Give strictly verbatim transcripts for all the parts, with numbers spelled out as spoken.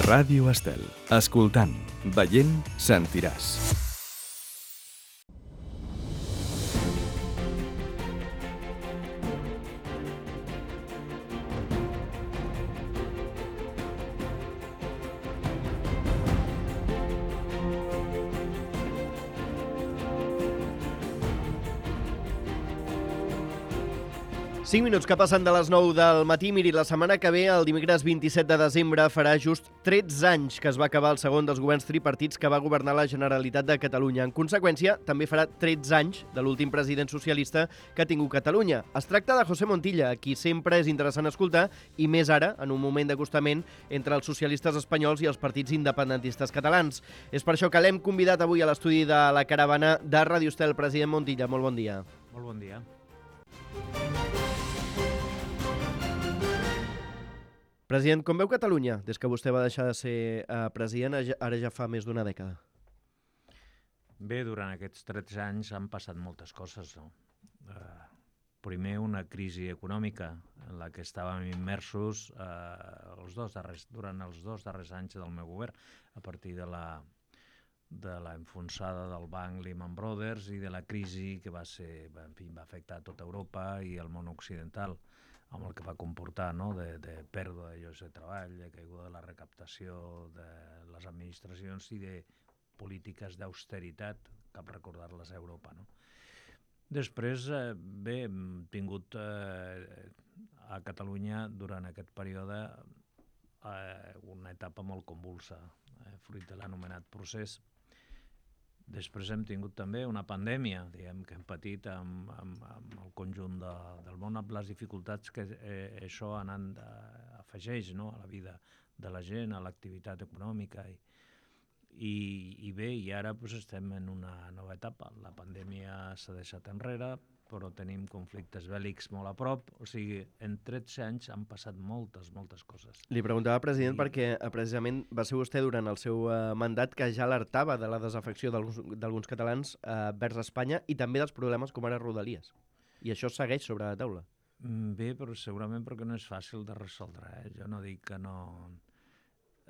Ràdio Estel. Escoltant, veient, sentiràs. cinc minuts que passen de les nou del matí. Miri, la setmana que ve, el dimecres vint-i-set de desembre, farà just tretze anys que es va acabar el segon dels governs tripartits que va governar la Generalitat de Catalunya. En conseqüència, també farà tretze anys de l'últim president socialista que ha tingut Catalunya. Es tracta de José Montilla, a qui sempre és interessant escoltar, i més ara, en un moment d'acostament entre els socialistes espanyols i els partits independentistes catalans. És per això que l'hem convidat avui a l'estudi de la caravana de Ràdio Estel. President Montilla, molt bon dia. Molt bon dia. President, com veu Catalunya des que vostè va deixar de ser eh, president, ara ja fa més d'una dècada? Bé, durant aquests tretze anys han passat moltes coses, no? Eh, primer, una crisi econòmica en la que estàvem immersos eh, els dos darrers, durant els dos darrers anys del meu govern, a partir de la, de la enfonsada del banc Lehman Brothers i de la crisi que va, ser, en fi, va afectar tota Europa i el món occidental, amb el que va comportar, no? de, de pèrdua de llocs de treball, de caiguda de la recaptació de les administracions i de polítiques d'austeritat, cap recordar-les a Europa. No? Després, eh, bé, hem tingut eh, a Catalunya durant aquest període eh, una etapa molt convulsa, eh, fruit de l'anomenat procés. Després hem tingut també una pandèmia, diguem, que hem patit amb, amb, amb el conjunt de, del món, amb les dificultats que eh, això anant de, afegeix, no? A la vida de la gent, a l'activitat econòmica. I, i, i bé, i ara pues, estem en una nova etapa. La pandèmia s'ha deixat enrere, però tenim conflictes bèl·lics molt a prop. O sigui, en tretze anys han passat moltes, moltes coses. Li preguntava, president, I... perquè eh, precisament va ser vostè durant el seu eh, mandat que ja alertava de la desafecció d'alguns catalans eh, vers Espanya i també dels problemes com ara Rodalies. I això segueix sobre la taula. Bé, però segurament perquè no és fàcil de resoldre. Eh? Jo no dic que no...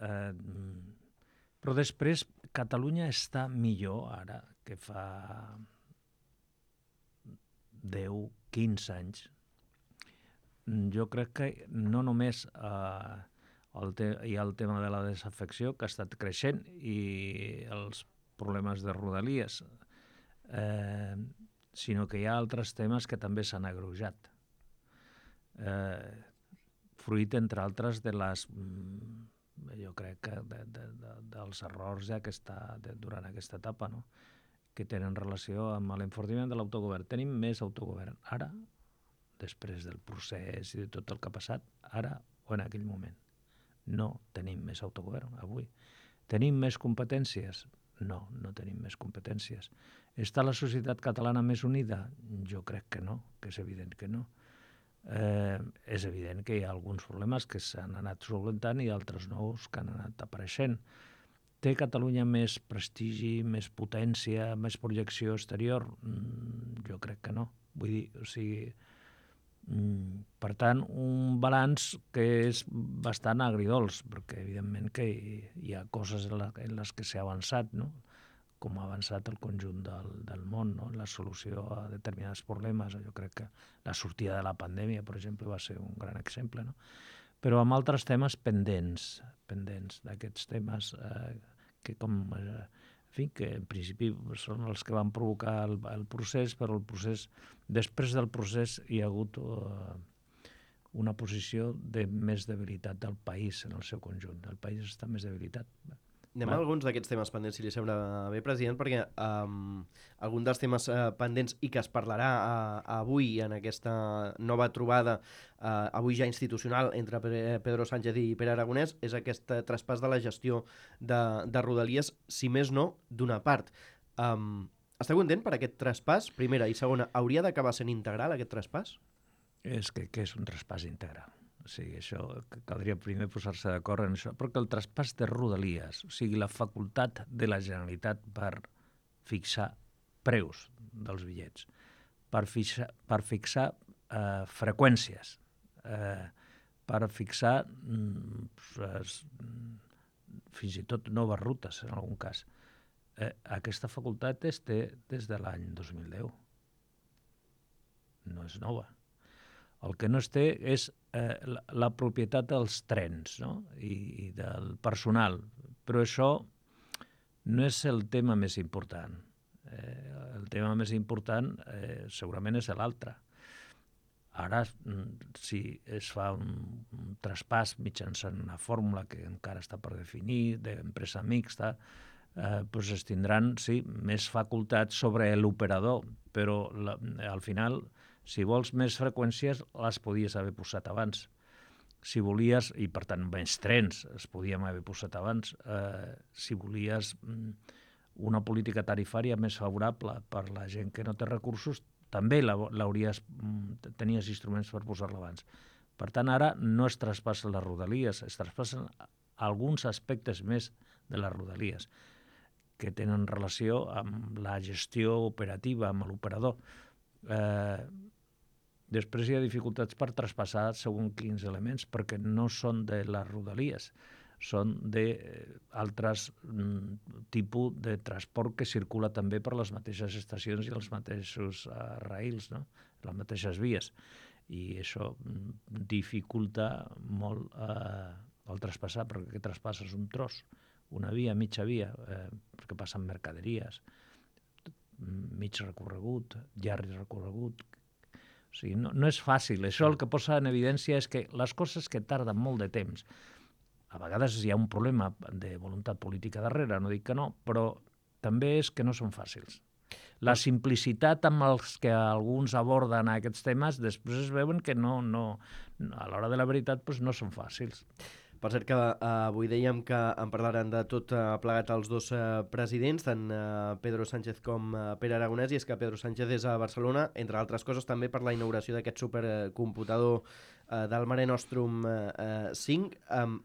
Eh, però després, Catalunya està millor ara que fa deu, quinze anys. Jo crec que no només eh, el te hi ha el tema de la desafecció, que ha estat creixent, i els problemes de Rodalies, eh, sinó que hi ha altres temes que també s'han agreujat. Eh, fruit, entre altres, de les, jo crec que de, de, de, dels errors ja que està de, durant aquesta etapa, no? Que tenen relació amb l'enfortiment de l'autogovern. Tenim més autogovern ara, després del procés i de tot el que ha passat, ara o en aquell moment. No tenim més autogovern avui. Tenim més competències? No, no tenim més competències. Està la societat catalana més unida? Jo crec que no, que és evident que no. Eh, és evident que hi ha alguns problemes que s'han anat solucionant i altres nous que han anat apareixent. Té Catalunya més prestigi, més potència, més projecció exterior? Mm, jo crec que no. Vull dir, o sigui, mm, per tant, un balanç que és bastant agridols, perquè evidentment que hi, hi ha coses en, la, en les que s'ha avançat, no? Com ha avançat el conjunt del, del món, no? La solució a determinats problemes. Jo crec que la sortida de la pandèmia, per exemple, va ser un gran exemple, no? Però amb altres temes pendents, pendents d'aquests temes eh, que com, eh, en fi, que en principi són els que van provocar el, el procés, però el procés, després del procés hi ha hagut eh, una posició de més debilitat del país en el seu conjunt. El país està més debilitat. Anem a alguns d'aquests temes pendents, si li sembla bé, president, perquè um, algun dels temes uh, pendents i que es parlarà uh, avui en aquesta nova trobada, uh, avui ja institucional, entre Pedro Sánchez i Pere Aragonès, és aquest uh, traspàs de la gestió de, de Rodalies, si més no, d'una part. Um, està content per aquest traspàs? Primera. I segona, hauria d'acabar sent integral aquest traspàs? És que, que és un traspàs integral. O sigui, això caldria primer posar-se d'acord en això, perquè el traspàs de Rodalies, o sigui, la facultat de la Generalitat per fixar preus dels bitllets, per fixar, per fixar eh, freqüències, eh, per fixar mm, fins i tot noves rutes, en algun cas. Eh, aquesta facultat es té des de l'any dos mil deu. No és nova. El que no es té és eh, la, la propietat dels trens, no? I, i del personal. Però això no és el tema més important. Eh, el tema més important eh, segurament és l'altre. Ara, si es fa un, un traspàs mitjançant una fórmula que encara està per definir, d'empresa mixta, eh, doncs es tindran, sí, més facultats sobre l'operador, però la, al final, si vols més freqüències, les podies haver posat abans. Si volies, i per tant més trens es podien haver posat abans, eh, si volies una política tarifària més favorable per la gent que no té recursos, també l'hauries, tenies instruments per posar-la abans. Per tant, ara no es traspassen les rodalies, es traspassen alguns aspectes més de les rodalies que tenen relació amb la gestió operativa, amb l'operador. Eh, després hi ha dificultats per traspassar segons quins elements, perquè no són de les rodalies, són d'altres tipus de transport que circula també per les mateixes estacions i els mateixos uh, rails, no? Les mateixes vies. I això dificulta molt uh, el traspassar, perquè aquest traspàs és un tros, una via, mitja via, eh, perquè passen mercaderies, mig recorregut, llarg recorregut. O sigui, no, no és fàcil. Això el que posa en evidència és que les coses que tarden molt de temps, a vegades hi ha un problema de voluntat política darrere, no dic que no, però també és que no són fàcils. La simplicitat amb els que alguns aborden aquests temes, després es veuen que no, no, a l'hora de la veritat doncs no són fàcils. Per cert que uh, avui dèiem que en parlaran de tot uh, plegat els dos uh, presidents, tant uh, Pedro Sánchez com uh, Pere Aragonès, i és que Pedro Sánchez és a Barcelona, entre altres coses també per la inauguració d'aquest supercomputador uh, del Mare Nostrum uh, cinc. Um,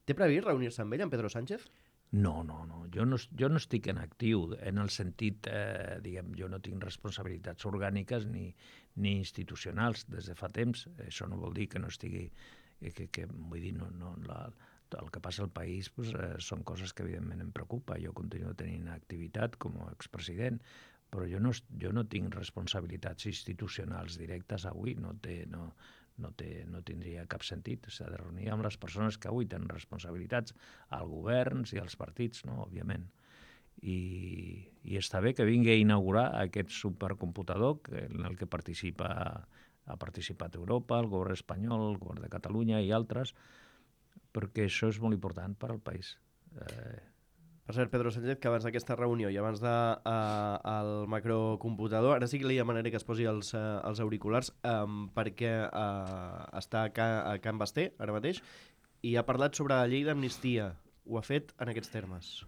Té previst reunir-se amb ell, amb Pedro Sánchez? No, no, no. Jo no, jo no estic en actiu, en el sentit, eh, diguem, jo no tinc responsabilitats orgàniques ni, ni institucionals des de fa temps. Això no vol dir que no estigui, que, que vull dir, no, no, la, el que passa al país pues, eh, són coses que evidentment em preocupa. Jo continuo tenint activitat com a expresident, però jo no, jo no tinc responsabilitats institucionals directes avui, no té... No, No, té, no tindria cap sentit. S'ha de reunir amb les persones que avui tenen responsabilitats, als governs i als partits, no? Òbviament. I, i està bé que vingui a inaugurar aquest supercomputador que, en el que participa, ha participat Europa, el govern espanyol, el govern de Catalunya i altres, perquè això és molt important per al país. Eh, Per cert, Pedro Sánchez, que abans d'aquesta reunió i abans del uh, macrocomputador, ara sí que li demanaré que es posi els, uh, els auriculars um, perquè uh, està a, Ca, a Can Basté ara mateix i ha parlat sobre la llei d'amnistia. Ho ha fet en aquests termes.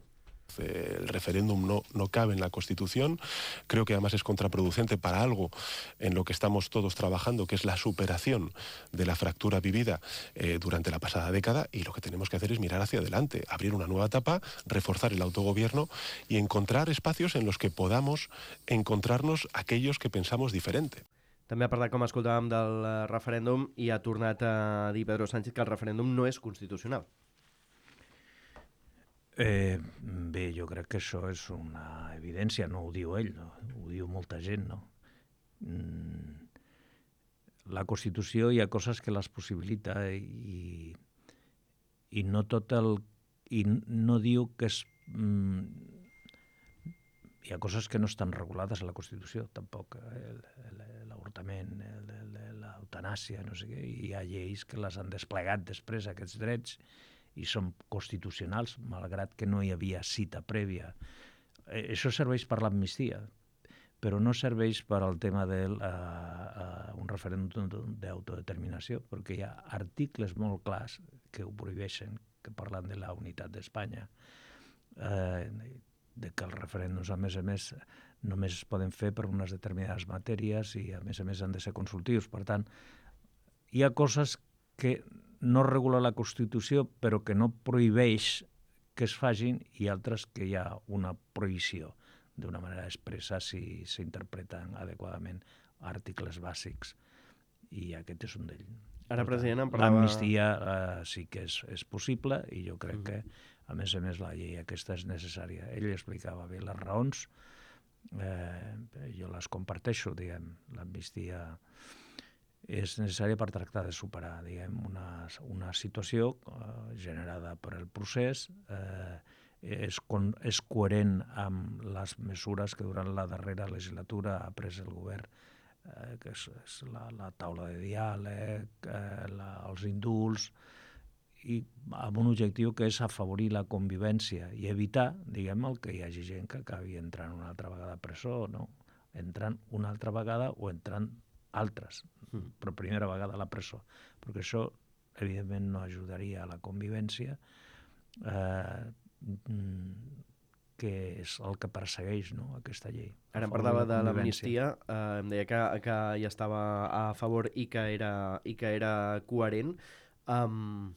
El referéndum no, no cabe en la Constitución. Creo que además es contraproducente para algo en lo que estamos todos trabajando, que es la superación de la fractura vivida eh, durante la pasada década, y lo que tenemos que hacer es mirar hacia adelante, abrir una nueva etapa, reforzar el autogobierno y encontrar espacios en los que podamos encontrarnos aquellos que pensamos diferente. També ha parlat, com escoltàvem, del referèndum i ha tornat a dir Pedro Sánchez que el referèndum no és constitucional. Eh, bé, jo crec que això és una evidència, no ho diu ell, no? Ho diu molta gent, no? Mm, la Constitució hi ha coses que les possibilita i, i no tot el... i no diu que és... Mm, hi ha coses que no estan regulades a la Constitució, tampoc. L'avortament, l'eutanàsia, no sé què, hi ha lleis que les han desplegat després, aquests drets, i són constitucionals, malgrat que no hi havia cita prèvia. Eh, això serveix per l'amnistia, però no serveix per al tema d'un uh, uh, referèndum d'autodeterminació, perquè hi ha articles molt clars que ho prohibeixen, que parlen de la unitat d'Espanya, eh, de que els referèndums, a més a més, només es poden fer per unes determinades matèries i, a més a més, han de ser consultius. Per tant, hi ha coses que no regula la Constitució, però que no prohibeix que es facin, i altres que hi ha una prohibició d'una manera expressa si s'interpreten adequadament articles bàsics, i aquest és un d'ells. Ara, president, em parlava... L'amnistia eh, sí que és, és possible, i jo crec mm. que A més a més, la llei aquesta és necessària. Ell explicava bé les raons, eh, jo les comparteixo, diguem, l'amnistia és necessària per tractar de superar, diguem, una, una situació eh, generada per el procés, eh, és, con, és coherent amb les mesures que durant la darrera legislatura ha pres el govern, eh, que és, és la, la taula de diàleg, eh, la, els indults, i amb un objectiu que és afavorir la convivència i evitar, diguem, el que hi hagi gent que acabi entrant una altra vegada a presó, no? Entrant una altra vegada o entrant altres, mm. per primera vegada a la presó, perquè això evidentment no ajudaria a la convivència, eh, que és el que persegueix, no?, aquesta llei. Ara em parlava de l'amnistia, eh, em deia que, que hi estava a favor i que era, i que era coherent. Um,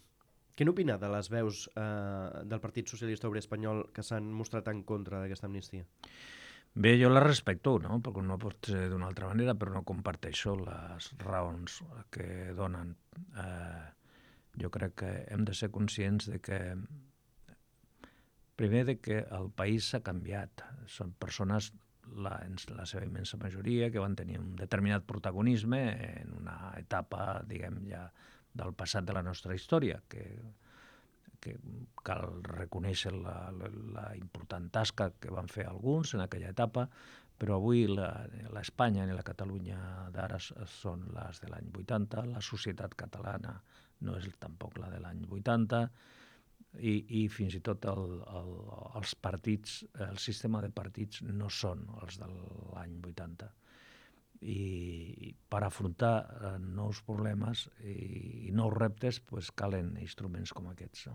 què n'opina de les veus eh, del Partit Socialista Obrer Espanyol que s'han mostrat en contra d'aquesta amnistia? Bé, jo la respecto, no? Perquè no pot ser d'una altra manera, però no comparteixo les raons que donen. Eh, jo crec que hem de ser conscients de que, primer, de que el país s'ha canviat. Són persones, la, en la seva immensa majoria, que van tenir un determinat protagonisme en una etapa, diguem, ja del passat de la nostra història, que, que cal reconèixer la, la, la important tasca que van fer alguns en aquella etapa, però avui l'Espanya i la Catalunya d'ara són les de l'any vuitanta, la societat catalana no és tampoc la de l'any vuitanta, i, i fins i tot el, el, els partits, el sistema de partits no són els de l'any vuitanta. I per afrontar eh, nous problemes i, i nous reptes pues, calen instruments com aquests. No?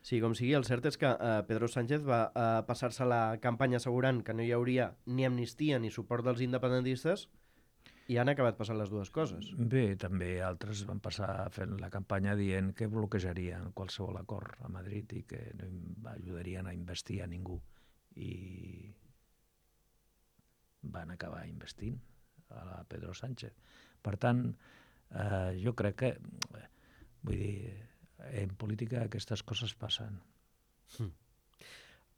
Sí, com sigui, el cert és que eh, Pedro Sánchez va eh, passar-se la campanya assegurant que no hi hauria ni amnistia ni suport dels independentistes i han acabat passant les dues coses. Bé, també altres van passar fent la campanya dient que bloquejarien qualsevol acord a Madrid i que no ajudarien a investir a ningú. I van acabar investint a la Pedro Sánchez. Per tant, eh, jo crec que, vull dir, en política aquestes coses passen. Mm.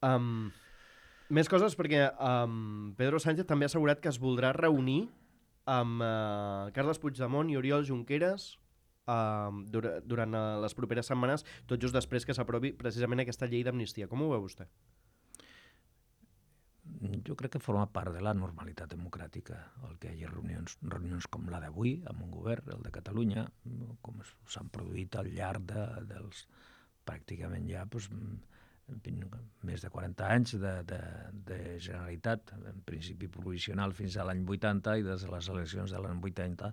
Um, més coses, perquè um, Pedro Sánchez també ha assegurat que es voldrà reunir amb uh, Carles Puigdemont i Oriol Junqueras uh, dur durant uh, les properes setmanes, tot just després que s'aprovi precisament aquesta llei d'amnistia. Com ho veu vostè? Jo crec que forma part de la normalitat democràtica el que hi hagi reunions, reunions com la d'avui amb un govern, el de Catalunya, com s'han produït al llarg de, dels pràcticament ja doncs, més de quaranta anys de, de, de Generalitat, en principi provisional fins a l'any vuitanta i des de les eleccions de l'any vuitanta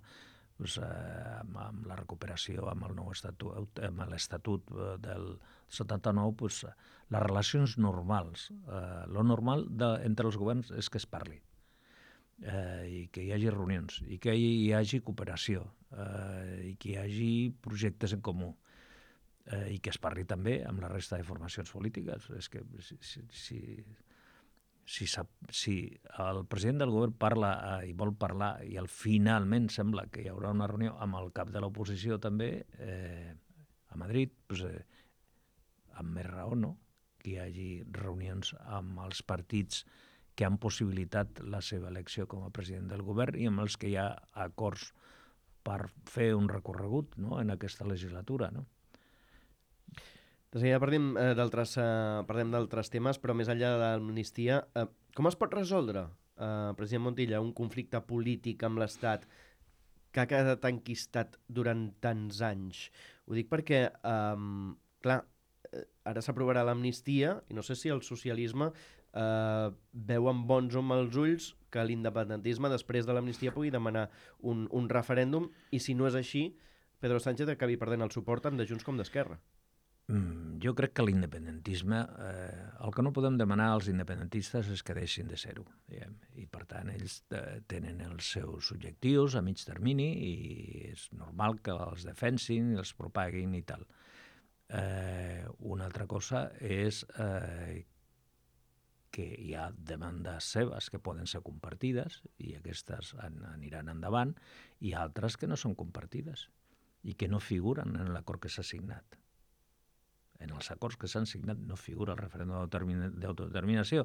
doncs, eh, amb, amb la recuperació, amb el nou estatut, amb l'estatut del setanta-nou, doncs, les relacions normals. Eh, lo normal de, entre els governs és que es parli, eh, i que hi hagi reunions, i que hi, hi hagi cooperació, eh, i que hi hagi projectes en comú, eh, i que es parli també amb la resta de formacions polítiques. És que si... si, si Si, si el president del govern parla eh, i vol parlar i al finalment sembla que hi haurà una reunió amb el cap de l'oposició també eh, a Madrid, doncs, eh, amb més raó, no?, que hi hagi reunions amb els partits que han possibilitat la seva elecció com a president del govern i amb els que hi ha acords per fer un recorregut, no?, en aquesta legislatura, no? De seguida parlem eh, d'altres eh, parlem d'altres temes, però més enllà de l'amnistia, eh, com es pot resoldre, eh, president Montilla, un conflicte polític amb l'Estat que ha quedat enquistat durant tants anys? Ho dic perquè, eh, clar, ara s'aprovarà l'amnistia i no sé si el socialisme eh, veu amb bons o mals ulls que l'independentisme després de l'amnistia pugui demanar un, un referèndum i si no és així, Pedro Sánchez acabi perdent el suport tant de Junts com d'Esquerra. Mm, jo crec que l'independentisme, eh, el que no podem demanar als independentistes és que deixin de ser-ho, diguem, i per tant ells eh, tenen els seus objectius a mig termini i és normal que els defensin i els propaguin i tal. Eh, una altra cosa és eh, que hi ha demandes seves que poden ser compartides i aquestes an aniran endavant i altres que no són compartides i que no figuren en l'acord que s'ha signat. En els acords que s'han signat no figura el referèndum d'autodeterminació.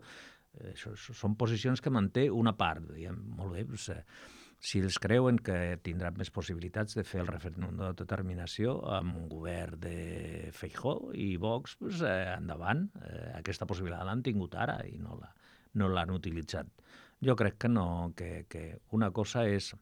Això són posicions que manté una part. Diguem, molt bé, doncs, si ells creuen que tindran més possibilitats de fer el referèndum d'autodeterminació amb un govern de Feijóo i Vox, doncs, eh, endavant. Eh, aquesta possibilitat l'han tingut ara i no la, no l'han utilitzat. Jo crec que no, que, que una cosa és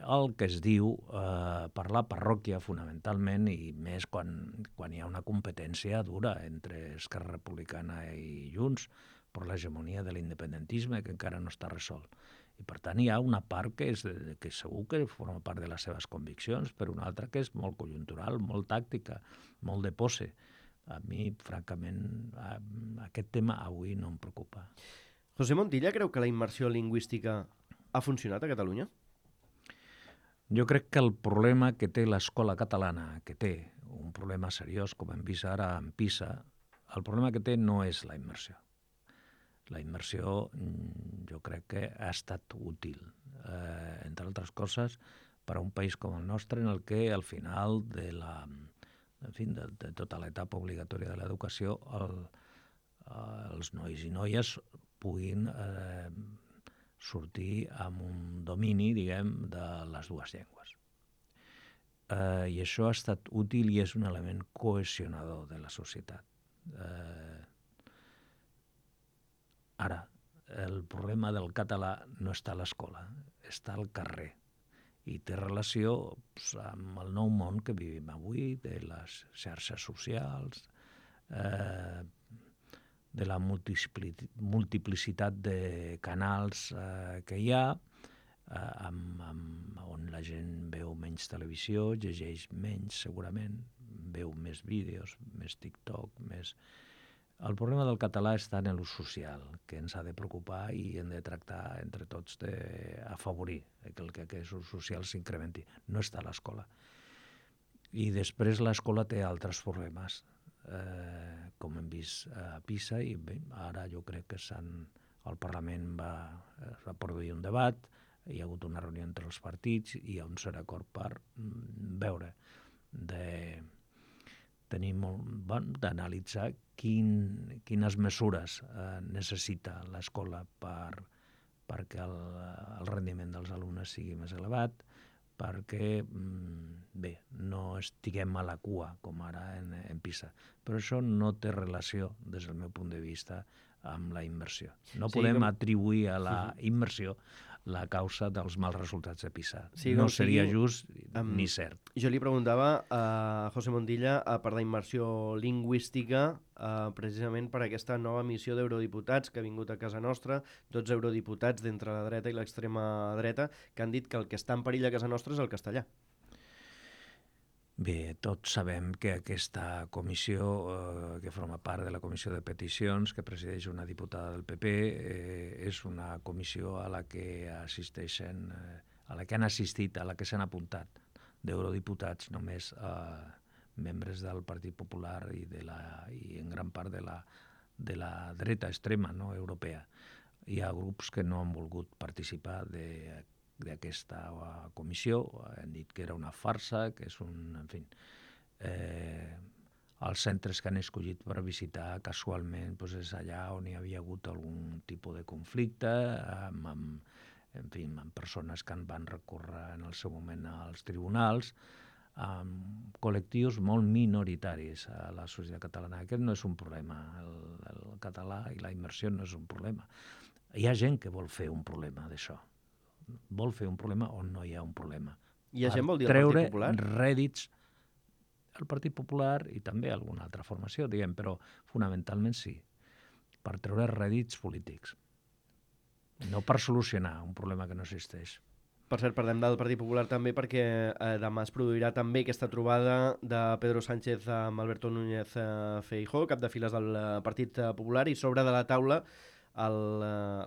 el que es diu eh, per la parròquia, fonamentalment, i més quan, quan hi ha una competència dura entre Esquerra Republicana i Junts per l'hegemonia de l'independentisme, que encara no està resolt. I, per tant, hi ha una part que, és, que segur que forma part de les seves conviccions, però una altra que és molt conjuntural, molt tàctica, molt de pose. A mi, francament, aquest tema avui no em preocupa. José Montilla creu que la immersió lingüística ha funcionat a Catalunya? Jo crec que el problema que té l'escola catalana, que té un problema seriós, com hem vist ara en PISA, el problema que té no és la immersió. La immersió jo crec que ha estat útil, eh, entre altres coses, per a un país com el nostre, en el que al final de, la, en fi, de, de tota l'etapa obligatòria de l'educació el, els nois i noies puguin eh, sortir amb un domini, diguem, de les dues llengües. Eh, I això ha estat útil i és un element cohesionador de la societat. Eh, ara, el problema del català no està a l'escola, està al carrer i té relació doncs, amb el nou món que vivim avui, de les xarxes socials, eh, de la multiplicitat de canals eh, que hi ha, eh, amb, amb, on la gent veu menys televisió, llegeix menys segurament, veu més vídeos, més TikTok, més... El problema del català està en l'ús social, que ens ha de preocupar i hem de tractar entre tots d'afavorir que el que aquest ús social s'incrementi. No està a l'escola. I després l'escola té altres problemes, eh, com hem vist a PISA, i bé, ara jo crec que el Parlament va, va produir un debat, hi ha hagut una reunió entre els partits i hi ha un cert acord per veure de... tenir molt, bon, d'analitzar quin, quines mesures eh, necessita l'escola per, perquè el, el rendiment dels alumnes sigui més elevat, perquè, bé, no estiguem a la cua, com ara en, en PISA. Però això no té relació, des del meu punt de vista, amb la immersió. No sí, podem com... atribuir a la immersió la causa dels mals resultats de PISA. Sí, no seria sigui, just um, ni cert. Jo li preguntava a José Montilla uh, per la immersió lingüística, uh, precisament per aquesta nova missió d'eurodiputats que ha vingut a casa nostra, dotze eurodiputats d'entre la dreta i l'extrema dreta, que han dit que el que està en perill a casa nostra és el castellà. Bé, tots sabem que aquesta comissió, eh, que forma part de la comissió de peticions, que presideix una diputada del P P, eh, és una comissió a la que assisteixen, eh, a la que han assistit, a la que s'han apuntat d'eurodiputats, només eh, membres del Partit Popular i, de la, i en gran part de la, de la dreta extrema, no, europea. Hi ha grups que no han volgut participar de d'aquesta comissió, han dit que era una farsa, que és un... En fi, eh, els centres que han escollit per visitar casualment doncs és allà on hi havia hagut algun tipus de conflicte, amb, amb, en fi, amb persones que en van recórrer en el seu moment als tribunals, amb col·lectius molt minoritaris a la societat catalana. Aquest no és un problema, el, el català i la immersió no és un problema. Hi ha gent que vol fer un problema d'això. Vol fer un problema on no hi ha un problema. I a gent vol dir el Partit Popular? Treure rèdits al Partit Popular i també alguna altra formació, diguem, però fonamentalment sí, per treure rèdits polítics, no per solucionar un problema que no existeix. Per cert, parlem del Partit Popular també perquè eh, demà es produirà també aquesta trobada de Pedro Sánchez amb Alberto Núñez Feijóo, cap de files del Partit Popular, i sobre de la taula El,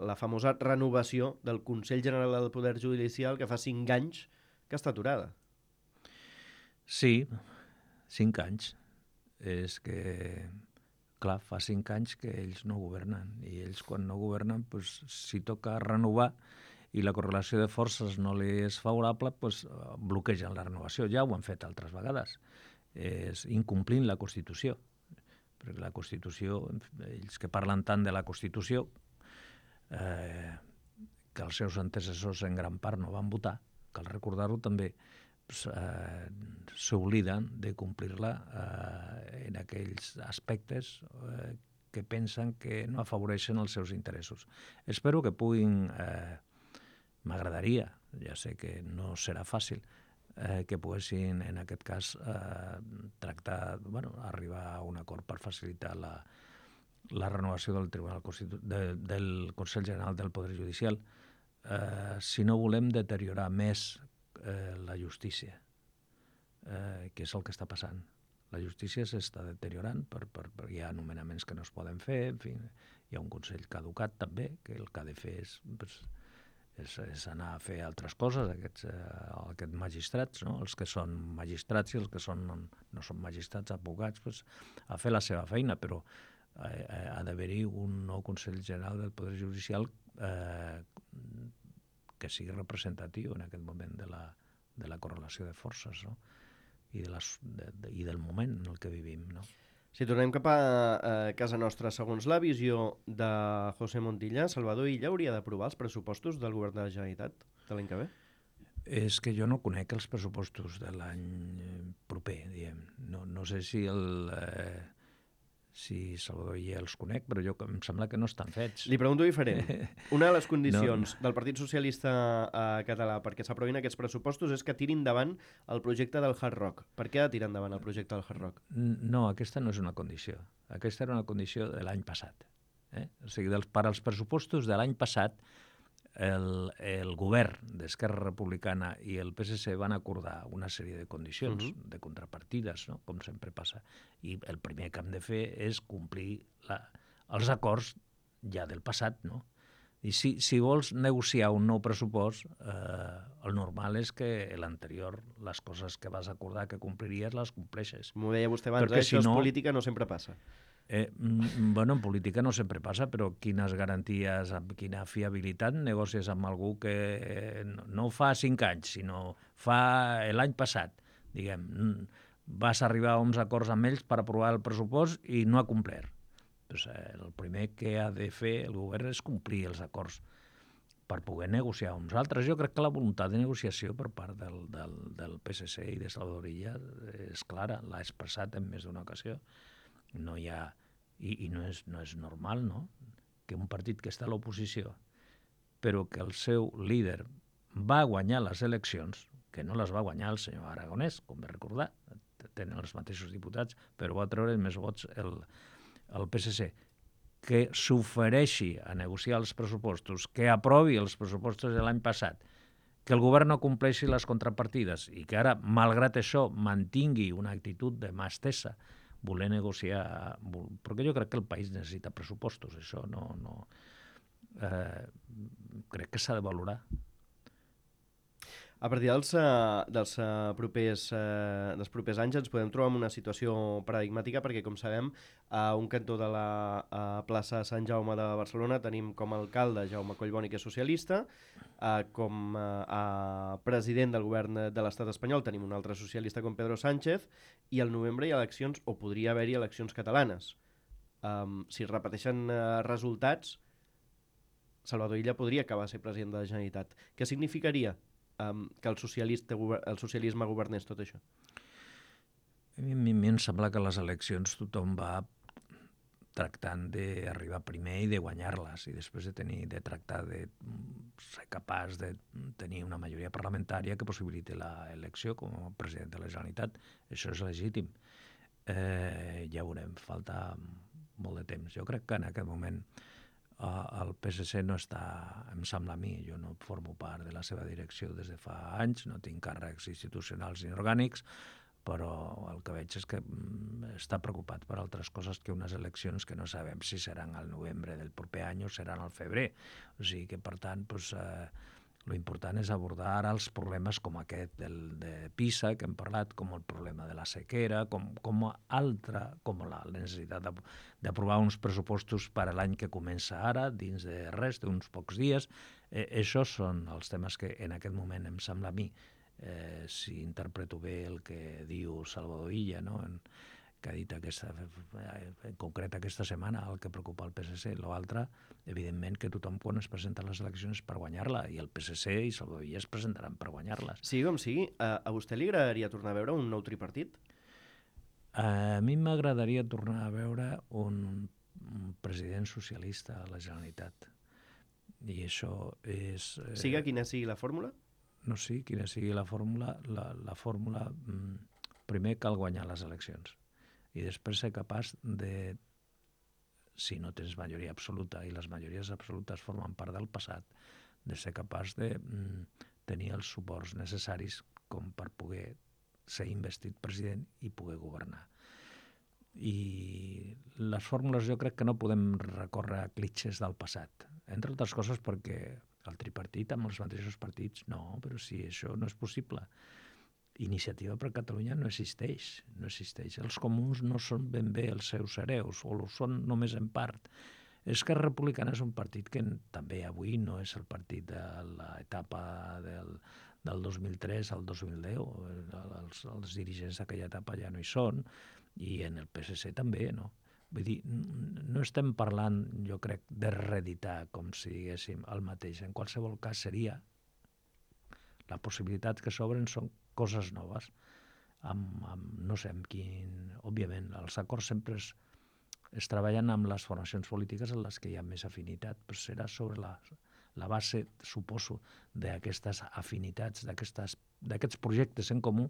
la famosa renovació del Consell General del Poder Judicial, que fa cinc anys que està aturada. Sí, cinc anys. És que, clar, fa cinc anys que ells no governen, i ells quan no governen, doncs, si toca renovar i la correlació de forces no li és favorable, doncs, bloquegen la renovació. Ja ho han fet altres vegades, és incomplint la Constitució. perquè la Constitució, ells que parlen tant de la Constitució, eh, que els seus antecessors en gran part no van votar, cal recordar-ho també, pues, eh, s'obliden de complir-la eh, en aquells aspectes eh, que pensen que no afavoreixen els seus interessos. Espero que puguin, eh, m'agradaria, ja sé que no serà fàcil, eh, que poguessin, en aquest cas, eh, tractar, bueno, arribar a un acord per facilitar la, la renovació del Tribunal Constitu de, del Consell General del Poder Judicial, eh, si no volem deteriorar més eh, la justícia, eh, que és el que està passant. La justícia s'està deteriorant, per, per, per, hi ha nomenaments que no es poden fer, en fi, hi ha un Consell caducat també, que el que ha de fer és, pues, és, és anar a fer altres coses, aquests, eh, aquests magistrats, no? Els que són magistrats i els que són, no són magistrats, advocats, pues, a fer la seva feina, però eh, ha d'haver-hi un nou Consell General del Poder Judicial eh, que sigui representatiu en aquest moment de la, de la correlació de forces, no? I, de les, de, de, i del moment en el que vivim, no? Si tornem cap a, a casa nostra, segons la visió de José Montilla, Salvador Illa hauria d'aprovar els pressupostos del govern de la Generalitat de l'any que ve? És que jo no conec els pressupostos de l'any proper, diguem. No, no sé si el... Eh, si Salvador Illa els conec, però jo em sembla que no estan fets. Li pregunto diferent. Una de les condicions no, no. del Partit Socialista eh, català perquè s'aprovin aquests pressupostos és que tirin endavant el projecte del Hard Rock. Per què ha de tirar endavant el projecte del Hard Rock? No, aquesta no és una condició. Aquesta era una condició de l'any passat. Eh? O sigui, dels, per als pressupostos de l'any passat, el, el govern d'Esquerra Republicana i el P S C van acordar una sèrie de condicions, uh-huh. de contrapartides, no? Com sempre passa. I el primer que hem de fer és complir la, els acords ja del passat, no? I si, si vols negociar un nou pressupost, eh, el normal és que l'anterior, les coses que vas acordar que compliries, les compleixes. M'ho deia vostè abans, eh? Això si no, és política, no sempre passa. Eh, bueno, en política no sempre passa, però quines garanties, amb quina fiabilitat negocies amb algú que eh, no, no fa cinc anys, sinó fa l'any passat, diguem, vas arribar a uns acords amb ells per aprovar el pressupost i no ha complert. Pues, eh, el primer que ha de fer el govern és complir els acords per poder negociar uns altres. Jo crec que la voluntat de negociació per part del, del, del P S C i de Salvador Illa és clara, l'ha expressat en més d'una ocasió. No hi ha, i, i no, és, no és normal, no?, que un partit que està a l'oposició, però que el seu líder va guanyar les eleccions, que no les va guanyar el senyor Aragonès, com ve recordar, tenen els mateixos diputats, però va treure més vots el, el P S C, que s'ofereixi a negociar els pressupostos, que aprovi els pressupostos de l'any passat, que el govern no compleixi les contrapartides i que ara, malgrat això, mantingui una actitud de mà estesa, voler negociar, perquè jo crec que el país necessita pressupostos, això no... no eh, crec que s'ha de valorar. A partir dels, uh, dels, uh, propers, uh, dels propers anys ens podem trobar en una situació paradigmàtica perquè, com sabem, a un cantó de la uh, plaça Sant Jaume de Barcelona tenim com a alcalde Jaume Collboni, que és socialista, uh, com uh, uh, president del govern de l'estat espanyol tenim un altre socialista com Pedro Sánchez, i al novembre hi ha eleccions, o podria haver-hi eleccions catalanes. Um, si es repeteixen uh, resultats, Salvador Illa podria acabar ser president de la Generalitat. Què significaria Um, que el, el socialisme governés tot això? A mi, a mi em sembla que les eleccions tothom va tractant d'arribar primer i de guanyar-les i després de tenir de tractar de ser capaç de tenir una majoria parlamentària que possibiliti l'elecció com a president de la Generalitat. Això és legítim. Eh, ja veurem, falta molt de temps. Jo crec que en aquest moment el P S C no està, em sembla a mi, jo no formo part de la seva direcció des de fa anys, no tinc càrrecs institucionals ni orgànics, però el que veig és que està preocupat per altres coses que unes eleccions que no sabem si seran al novembre del proper any o seran al febrer. O sigui que, per tant, doncs, eh, lo important és abordar ara els problemes com aquest del, de PISA, que hem parlat, com el problema de la sequera, com, com altra, com la necessitat d'aprovar uns pressupostos per a l'any que comença ara, dins de res, d'uns pocs dies. Eh, això són els temes que en aquest moment em sembla a mi, eh, si interpreto bé el que diu Salvador Illa, no? En, que ha dit aquesta, en concret aquesta setmana, el que preocupa el P S C. L'altre, evidentment, que tothom quan es presenta a les eleccions és per guanyar-la, i el P S C i Salvador Illa es presentaran per guanyar-les. Sí, com sigui, a, a vostè li agradaria tornar a veure un nou tripartit? A mi m'agradaria tornar a veure un, un president socialista a la Generalitat. I això és... Eh, Siga quina sigui la fórmula? No sé quina sigui la fórmula. La, la fórmula, mm, primer cal guanyar les eleccions. I després ser capaç de, si no tens majoria absoluta, i les majories absolutes formen part del passat, de ser capaç de mm, tenir els suports necessaris com per poder ser investit president i poder governar. I les fórmules jo crec que no podem recórrer a clitxes del passat, entre altres coses perquè el tripartit amb els mateixos partits, no, però si això no és possible. Iniciativa per Catalunya no existeix, no existeix. Els comuns no són ben bé els seus hereus, o ho són només en part. Esquerra Republicana és un partit que també avui no és el partit de l'etapa del, del dos mil tres al dos mil deu. Els, els dirigents d'aquella etapa ja no hi són, i en el P S C també, no? Vull dir, no estem parlant, jo crec, de reeditar, com si diguéssim, el mateix. En qualsevol cas seria... La possibilitat que s'obren són coses noves, amb, amb, no sé amb quin... Òbviament, els acords sempre es, es treballen amb les formacions polítiques en les que hi ha més afinitat, però serà sobre la, la base, suposo, d'aquestes afinitats, d'aquests projectes en comú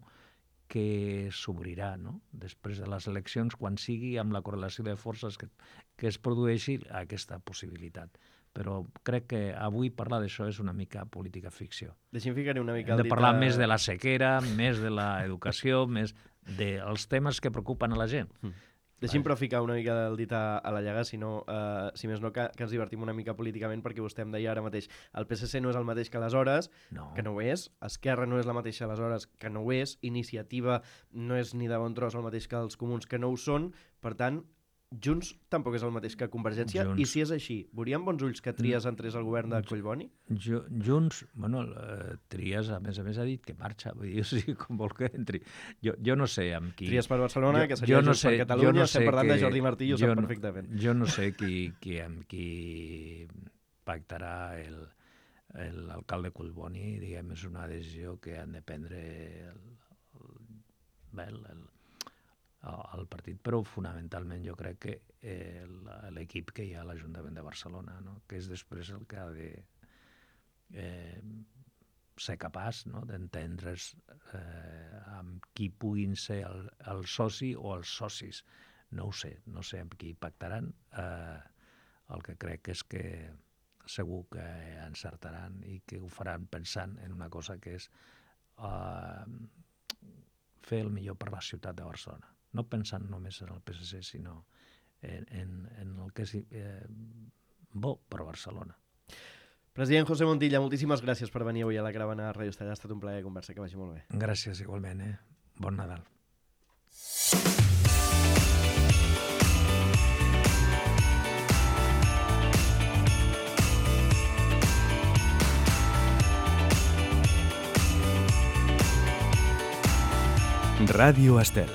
que s'obrirà, no? Després de les eleccions, quan sigui amb la correlació de forces que, que es produeixi aquesta possibilitat. Però crec que avui parlar d'això és una mica política ficció. Deixi'm ficar-hi una mica Hem el de dit parlar a... més de la sequera, més de l'educació, més dels temes que preocupen a la gent. Mm. Deixi'm però ficar una mica el dit a, a la llaga, si, no, uh, si més no que, que ens divertim una mica políticament, perquè vostè em deia ara mateix, el P S C no és el mateix que aleshores, No. que no ho és, Esquerra no és la mateixa aleshores, que no ho és, Iniciativa no és ni de bon tros el mateix que els comuns, que no ho són, per tant, Junts tampoc és el mateix que Convergència, Junts. i si és així, veuríem bons ulls que Trias entrés al govern de Collboni? Jo, Junts, bueno, eh, Trias, a més a més, ha dit que marxa, vull dir, o sigui, com vol que entri. Jo, jo no sé amb qui... Trias per Barcelona, jo, que seria no Junts sé, per Catalunya, no estem parlant que, de Jordi Martí, ho jo sap no, perfectament. Jo no sé qui, qui, amb qui pactarà el, l'alcalde Collboni, diguem, és una decisió que han de prendre el, el, el, el al partit, però fonamentalment jo crec que eh, l'equip que hi ha a l'Ajuntament de Barcelona, no? Que és després el que ha de eh, ser capaç, no? D'entendre's eh, amb qui puguin ser el, el soci o els socis. No ho sé, no sé amb qui pactaran. Eh, el que crec és que segur que encertaran i que ho faran pensant en una cosa que és eh, fer el millor per la ciutat de Barcelona. No pensant només en el P S C, sinó en, en, en el que és eh, bo per Barcelona. President José Montilla, moltíssimes gràcies per venir avui a la Caravana Ràdio Estella. Ha estat un plaer conversar, que vagi molt bé. Gràcies igualment, eh? Bon Nadal. Ràdio Estel.